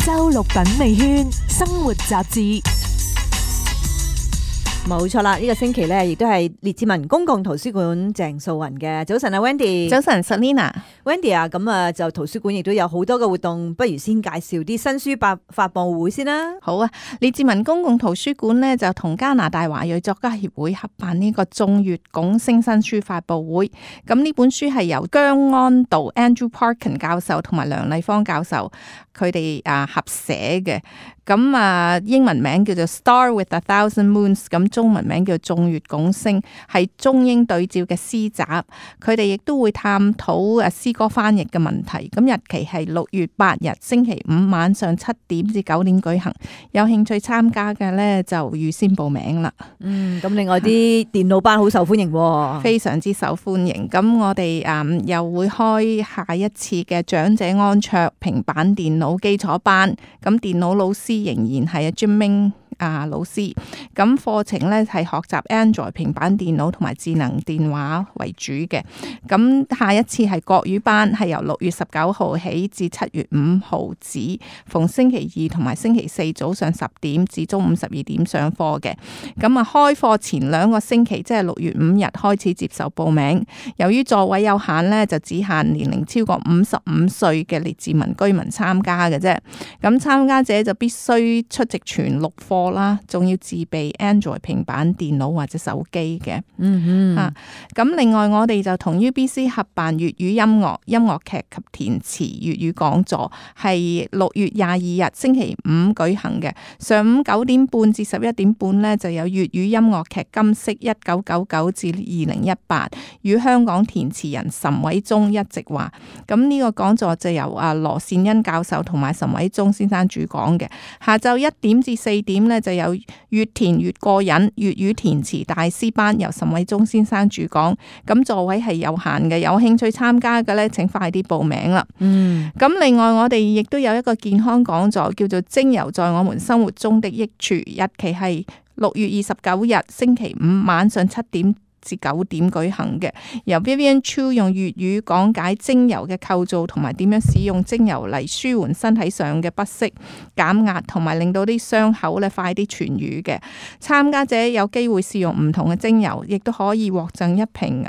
周六品味圈生活雜誌。冇錯啦，呢個星期咧，亦都係列治文公共圖書館鄭素雲嘅。早晨啊 Wendy，早晨 Selina。Wendy 啊，咁啊就圖書館亦都有好多嘅活動，不如先介紹啲新書發佈會先啦。好啊，列治文公共圖書館呢，就同加拿大華裔作家協會合辦呢個眾月拱星新書發佈會。咁呢本書係由姜安道 Andrew Parkin 教授同埋梁麗芳教授佢哋合寫嘅。咁英文名叫做 Star with a Thousand Moons， 咁中文名叫眾月拱星，係中英對照嘅詩集。佢哋亦都會探討詩歌翻譯嘅問題。咁日期係6月8日星期五晚上7點至9點舉行。有興趣參加嘅呢，就預先報名啦。咁另外啲電腦班好受歡迎喎，非常之受歡迎。咁我哋又會開下一次嘅長者安卓平板電腦基礎班。咁電腦老師仍然係Jim Ming老師，咁課程咧係學習 Android 平板電腦同埋智能電話為主嘅。咁下一次係國語班，係由6月19號起至7月5號止，逢星期二同埋星期四早上10點至中午12點上課嘅。咁開課前2個星期，即係6月5日開始接受報名。由於座位有限呢，就只限年齡超過55歲嘅列治文居民參加嘅啫。咁參加者就必須出席全6課啦，仲要自備 Android 平板電腦或者手機嘅。咁另外我哋就同 UBC 合辦粵語音樂劇及填詞粵語講座，係6月22日星期五舉行嘅。上午9點半至11點半呢，就有粵語音樂劇金色1999至2018，與香港填詞人岑偉忠一席話。咁呢個講座就由羅善恩教授同埋岑偉忠先生主講嘅。下晝1點至4點呢，就有越填越過癮粵語填詞大師班，由岑偉忠先生主講。咁座位係有限嘅，有興趣參加嘅呢，請快啲報名啦。咁另外我哋亦都有一個健康講座，叫做精油在我們生活中的益處，日期係6月29日星期五晚上7點至9點舉行嘅，由 Vivian Chu 用粵語講解精油嘅構造同埋點樣使用精油嚟舒緩身體上嘅不適、減壓同埋令到啲傷口咧快啲痊癒嘅。參加者有機會試用唔同嘅精油，亦都可以獲贈一瓶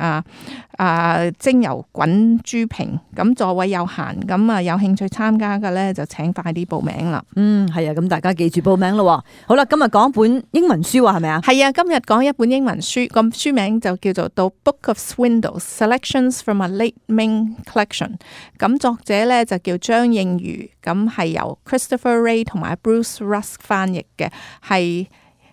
精油滾珠瓶。咁座位有限，咁有興趣參加嘅咧就請快啲報名啦。係啊，咁大家記住報名咯。好啦，今日講一本英文書係咪啊？係啊，今日講一本英文書，咁書名就叫做《The Book of Swindles: Selections from a Late Ming Collection》。咁作者咧就叫張應如，咁係由 Christopher Ray 同埋 Bruce Rusk 翻譯嘅，係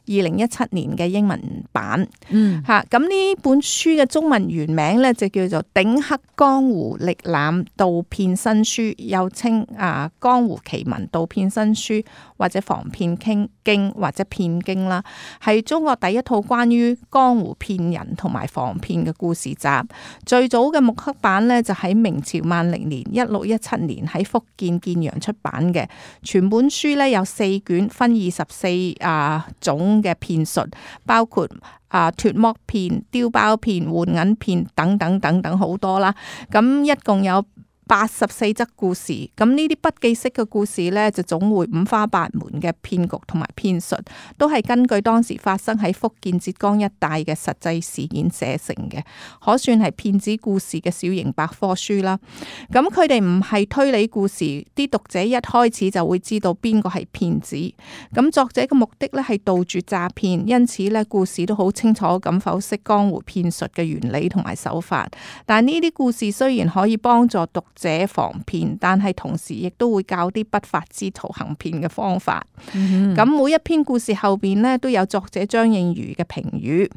2017年嘅英文版。咁呢本書嘅中文原名咧就叫做《鼎黑江湖歷覽盜騙新書》，又稱江湖奇聞盜騙新書，或者防騙經或者騙經啦，係中國第一套關於江湖騙人同埋防騙嘅故事集。最早嘅木刻版呢，就喺明朝萬曆年1617年喺福建建陽出版嘅。全本書呢，有4卷，分24種嘅騙術，包括脫剝騙、丟包騙、換銀騙等等好多啦。咁一共有84則故事，咁呢啲筆記式嘅故事呢，就總會五花八門嘅騙局同埋騙術，都係根據當時發生喺福建浙江一帶嘅實際事件寫成嘅，可算係騙子故事嘅小型百科書啦。咁佢哋唔係推理故事，啲讀者一開始就會知道邊個係騙子。咁作者嘅目的呢，係杜絕詐騙，因此呢，故事都好清楚咁剖析江湖騙術嘅原理同埋手法。但呢啲故事雖然可以幫助讀者防騙，但係同時亦都會教啲不法之徒行騙嘅方法。咁每一篇故事後邊呢，都有作者張應如嘅評語。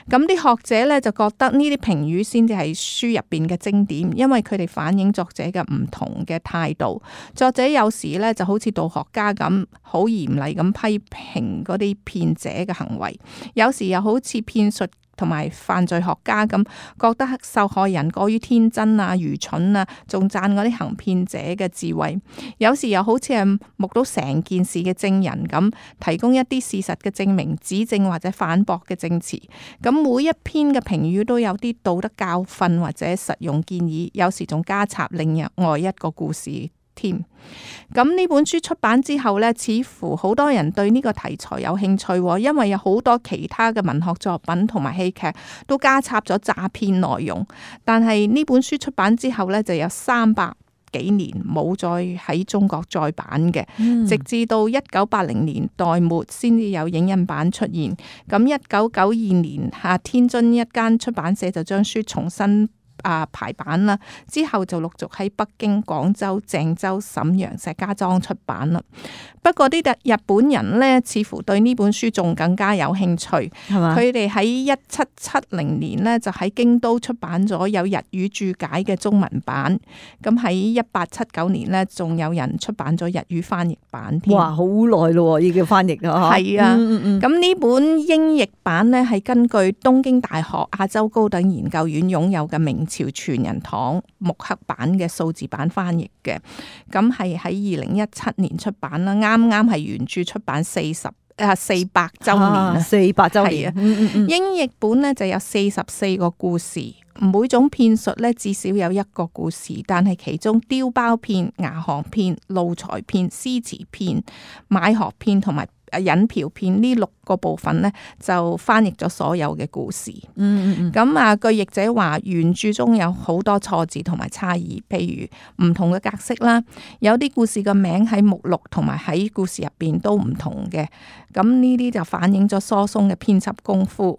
咁啲學者呢，就覺得呢啲評語先至係書入邊嘅精點，因為佢哋反映作者嘅唔同嘅態度。作者有時呢，就好似道學家咁，好嚴厲咁批評嗰啲騙者嘅行為，有時又好似騙術同埋犯罪學家咁，覺得受害人過於天真愚蠢仲讚嗰啲行騙者嘅智慧。有時又好似係目睹成件事嘅證人咁，提供一啲事實嘅證明、指證或者反駁嘅證詞。咁每一篇嘅評語都有啲道德教訓或者實用建議，有時仲加插另外一個故事添。咁呢本書出版之後呢，似乎好多人對呢個題材有興趣，因為有好多其他嘅文學作品同埋戲劇都加插咗詐騙內容。但係呢本書出版之後呢，就有300幾年冇再喺中國再版嘅，直至到1980年代末先至有影印版出現。咁1992年天津一間出版社就將書重新排版啦，之後就陸續喺北京、廣州、鄭州、瀋陽、石家莊出版啦。不過啲日本人呢，似乎對呢本書仲更加有興趣，係嘛？佢哋喺1770年呢，就喺京都出版咗有日語注解嘅中文版。咁喺1879年呢，仲有人出版咗日語翻譯版添。哇，好耐咯，已經翻譯啦。係啊，咁呢本英譯版呢，係根據東京大學亞洲高等研究院擁有嘅明朝傳人堂木刻版嘅數字版翻譯嘅。咁係喺2017年出版啦，啱啱係原著出版400週年400週年。英譯本呢就有44個故事，每種騙術呢至少有1個故事，但係其中丟包騙、牙行騙、路財騙、詩詞騙、買學騙同埋引嫖騙呢6個部分呢，就翻譯咗所有嘅故事。咁據譯者話，原著中有好多錯字同埋差異，譬如唔同嘅格式啦，有啲故事嘅名喺目錄同埋喺故事入邊都唔同嘅。咁呢啲就反映咗疏鬆嘅編輯功夫。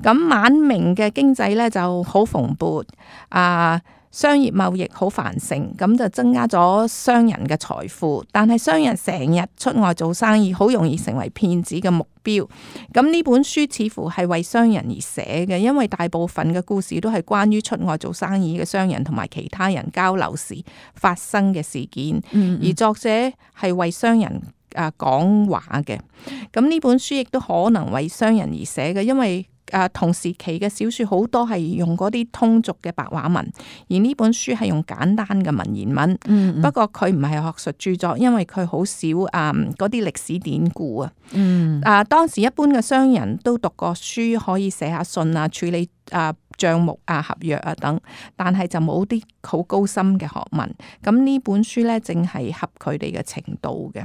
咁晚明嘅經濟呢就好蓬勃，商業貿易好繁盛，咁就增加咗商人嘅財富。但係商人成日出外做生意，好容易成為騙子嘅目標。咁呢本書似乎係為商人而寫嘅，因為大部分嘅故事都係關於出外做生意嘅商人同埋其他人交流時發生嘅事件。而作者係為商人講話嘅。咁呢本書亦都可能為商人而寫嘅，因為同時期嘅小說好多係用嗰啲通俗嘅白話文，而呢本書係用簡單嘅文言文。不過佢唔係學術著作，因為佢好少嗰啲歷史典故啊。當時一般嘅商人都讀過書，可以寫下信啊，處理賬目啊、合約啊等，但係就冇啲好高深嘅學問。咁呢本書呢，正係合佢哋嘅程度嘅。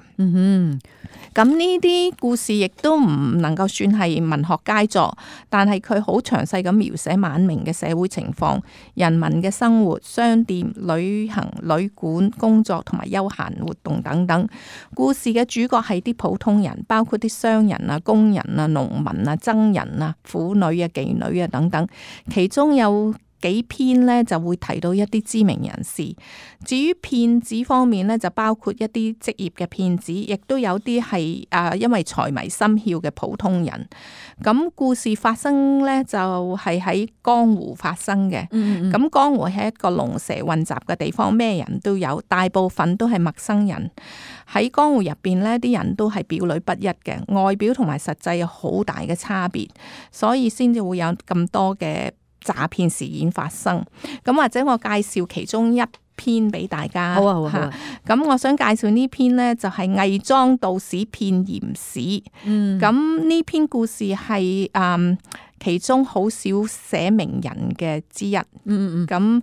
咁呢啲故事亦都唔能夠算係文學佳作，但係佢好詳細咁描寫晚明嘅社會情況、人民嘅生活、商店、旅行、旅館、工作同埋休閒活動等等。故事嘅主角係啲普通人，包括啲商人啊、工人啊、農民啊、僧人啊、婦女啊、妓女啊等等。其中有幾篇呢就會提到一啲知名人士。至於騙子方面呢，就包括一啲職業嘅騙子，亦都有啲係因為財迷心竅嘅普通人。咁故事發生呢，就係喺江湖發生嘅。咁江湖係一個龍蛇混雜嘅地方，咩人都有，大部分都係陌生人。喺江湖入邊呢，啲人都係表裏不一嘅，外表同埋實際有好大嘅差別，所以先至會有咁多嘅詐騙事件發生。咁或者我介紹其中一篇俾大家。好啊。咁我想介紹呢篇呢，就係偽裝道士騙鹽市。咁呢篇故事係其中好少寫名人嘅之一。咁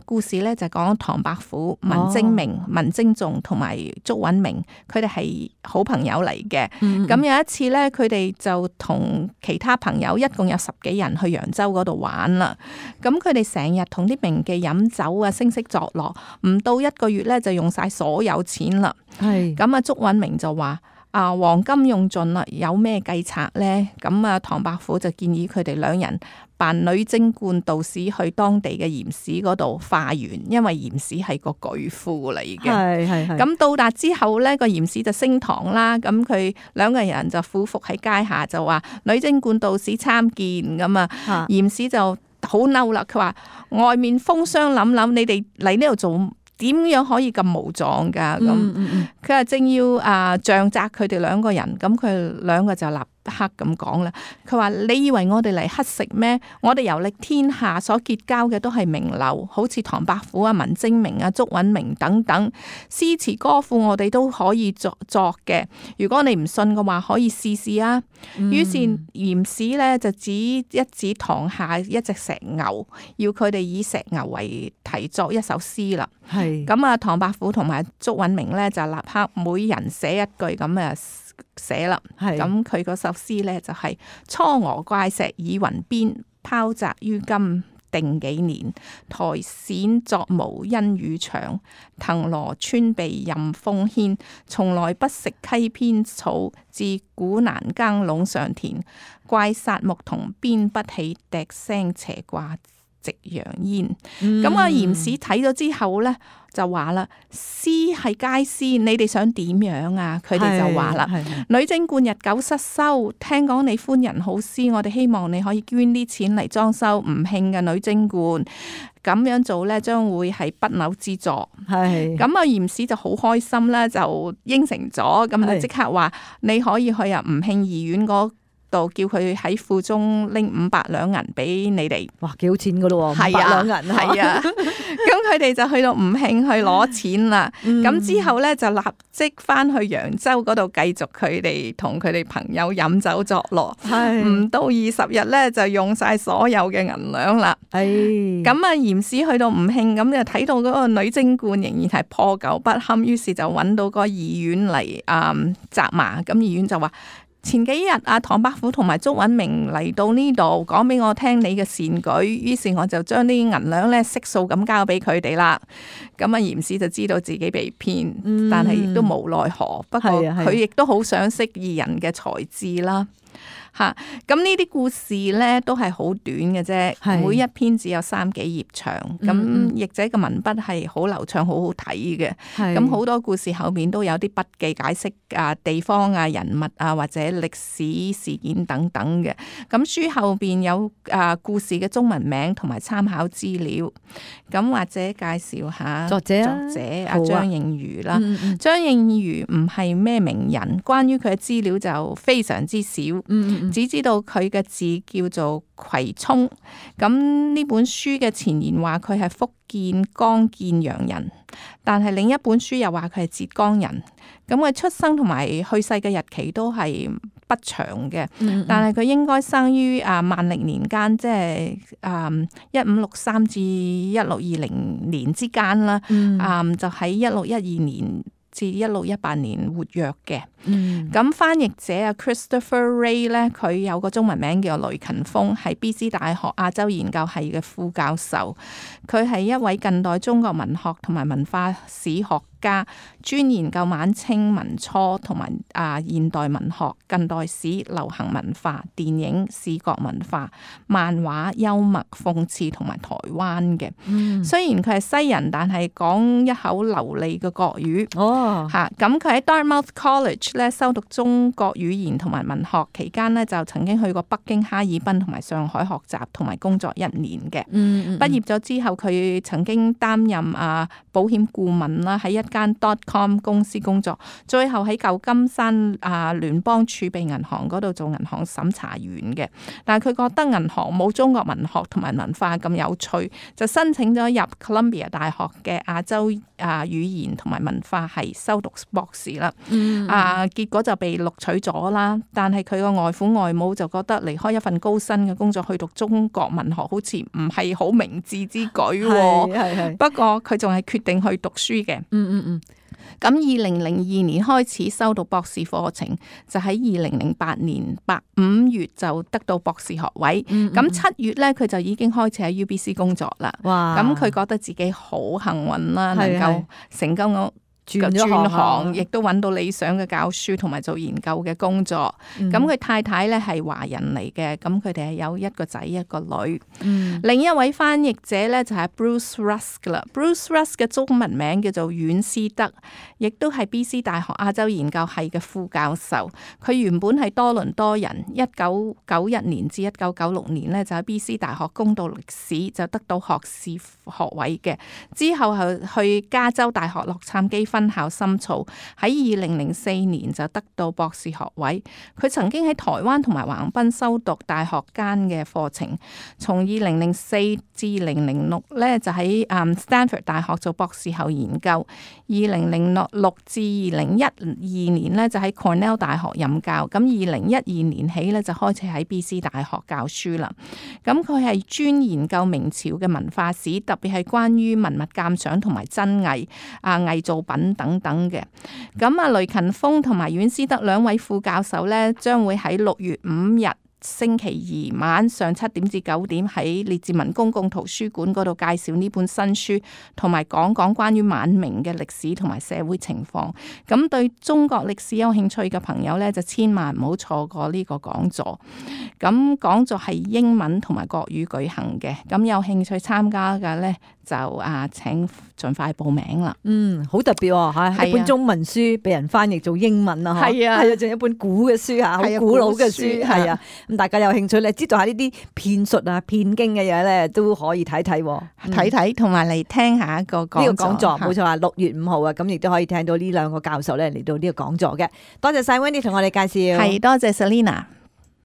故事咧就講唐伯虎、文徵明、文徵仲同埋祝允明，佢哋係好朋友嚟嘅。咁有一次咧，佢哋就同其他朋友一共有10幾人去揚州嗰度玩啦。咁佢哋成日同啲名妓飲酒啊，聲色作樂，唔到1個月咧就用晒所有錢啦。咁祝允明就話：黃金用盡啦，有咩計策呢？咁唐伯虎就建議佢哋2人扮女貞觀道士去當地嘅鹽市嗰度化緣，因為鹽市係個巨富嚟嘅。咁到達之後呢，個鹽市就升堂啦。咁佢2個人就俯伏喺階下，就話女貞觀道士參見。咁鹽市就好嬲啦，佢話外面風霜凜凜，你哋嚟呢度做？點樣可以咁無狀噶？咁佢話正要杖責佢哋2個人，咁佢2個就立克咁講啦。佢話：你以為我哋嚟乞食咩？我哋遊歷天下所結交嘅都係名流，好似唐伯虎啊、文徵明啊、祝允明等等，詩詞歌賦我哋都可以作嘅。如果你唔信嘅話，可以試試啊。於是嚴史咧就指堂下一隻石牛，要佢哋以石牛為題作一首詩啦。係咁啊，唐伯虎同埋祝允明咧就立刻每人寫一句咁啊寫啦。咁佢嗰首詩咧就係、嵯峨怪石以雲邊，拋擲於今定幾年。苔蘚作毛因雨長，藤蘿穿鼻任風牽。從來不食溪邊草，自古難耕隴上田。怪殺牧童鞭不起，笛聲斜掛夕陽煙。咁啊，嚴史睇咗之後咧，就話啦：詩係佳詩，你哋想點樣啊？佢哋就話啦：女貞觀日久失修，聽講你寬仁好施，我哋希望你可以捐啲錢嚟裝修吳慶嘅女貞觀。咁樣做咧，將會係不朽之作。咁啊，嚴史就好開心啦，就應承咗。咁就即刻話你可以去啊吳慶義院嗰度叫佢喺庫中拎500兩銀俾你哋。哇，幾好錢噶咯喎，500兩銀。係啊，咁佢哋就去到吳慶去攞錢啦。咁之後咧就立即翻去揚州嗰度繼續佢哋同佢哋朋友飲酒作樂。唔到20日咧就用晒所有嘅銀兩啦。咁啊，嚴史去到吳慶咁就睇到嗰個女貞觀仍然係破舊不堪，於是就揾到個義院嚟責罵。咁義院就話：前幾日啊，唐伯虎同埋祝允明嚟到呢度，講俾我聽你嘅善舉，於是我就將啲銀兩咧悉數咁交俾佢哋啦。咁啊，嚴史就知道自己被騙，但係亦都無奈何。不過佢亦都好賞識義人嘅才智啦。咁呢啲故事咧都係好短嘅啫，每一篇只有3幾頁長。咁譯者嘅文筆係好流暢，好好睇嘅。咁好多故事後面都有啲筆記解釋啊地方啊人物啊或者歷史事件等等嘅。咁書後邊有故事嘅中文名同埋參考資料。咁或者介紹下作者阿張應如啦。張應如唔係咩名人，關於佢嘅資料就非常之少。只知道佢嘅字叫做葵涌。咁呢本書嘅前言話佢係福建江建陽人，但係另一本書又話佢係浙江人。咁佢出生同埋去世嘅日期都係不詳嘅，但係佢應該生於萬曆年間，即係1563至1620年之間啦。就喺1612年至1618年活躍嘅。咁翻譯者啊 Christopher Wray 咧，佢有個中文名叫雷勤鋒，係 BC 大學亞洲研究系嘅副教授。佢係一位近代中國文學同埋文化史學家，專研究晚清民初同埋現代文學、近代史、流行文化、電影、視覺文化、漫畫、幽默、諷刺同埋台灣嘅。雖然佢係西人，但係講一口流利嘅國語。咁佢喺 Dartmouth College 咧修讀中國語言同埋文學，期間咧就曾經去過北京、哈爾濱同埋上海學習同埋工作1年嘅。畢業咗之後，佢曾經擔任保險顧問啦，喺一間 .com 公司工作，最後喺舊金山聯邦儲備銀行嗰度做銀行審查員嘅。但係佢覺得銀行冇中國文學同埋文化咁有趣，就申請咗入 Columbia 大學嘅亞洲語言同埋文化系修讀博士啦。結果就被錄取咗啦。但係佢個外父外母就覺得離開一份高薪嘅工作去讀中國文學好似唔係好明智之舉。不過佢仲係決定去讀書嘅。咁2002年開始修讀博士課程，就喺2008年5月就得到博士學位。咁7月咧，佢就已經開始喺 UBC 工作啦。咁佢覺得自己好幸運啦，能夠成功轉行，亦都揾到理想嘅教書同埋做研究嘅工作。咁佢太太咧係華人嚟嘅，咁佢哋係有一個仔一個女。另一位翻譯者咧就係 Bruce Rusk 啦。Bruce Rusk 嘅中文名叫做阮思德，亦都係 BC 大學亞洲研究系嘅副教授。佢原本係多倫多人，1991年至1996年咧就喺 BC 大學攻讀歷史，就得到學士學位嘅。之後係去加州大學洛杉磯分校深造，喺2004年就得到博士學位。佢曾經喺台灣同埋橫濱修讀大學間嘅課程，從2004至2006咧就喺Stanford 大學做博士後研究。2006至2012年咧就喺 Cornell 大學任教。咁2012年起咧就開始喺 BC 大學教書啦。咁佢係專研究明朝嘅文化史，特別係關於文物鑑賞同埋真偽偽造品等等嘅。咁雷勤鋒同埋阮思德兩位副教授咧，將會喺6月5日星期二晚上7點至9點喺列治文公共圖書館嗰度介紹呢本新書，同埋講關於晚明嘅歷史同埋社會情況。咁對中國歷史有興趣嘅朋友咧，就千萬唔好錯過呢個講座。咁講座係英文同埋國語舉行嘅，咁有興趣參加嘅咧就請盡快報名啦。好特別吓，一本中文書俾人翻譯做英文啊，係啊，仲有一本古嘅書吓，好古老嘅書，係啊。咁大家有興趣咧，知道下呢啲騙術啊、騙經嘅嘢咧，都可以睇睇，同埋嚟聽下一個講座。冇錯啊，6月5號啊，咁亦都可以聽到呢兩個教授咧嚟到呢個講座嘅。多謝晒 Wendy 同我哋介紹，係多謝 Selina。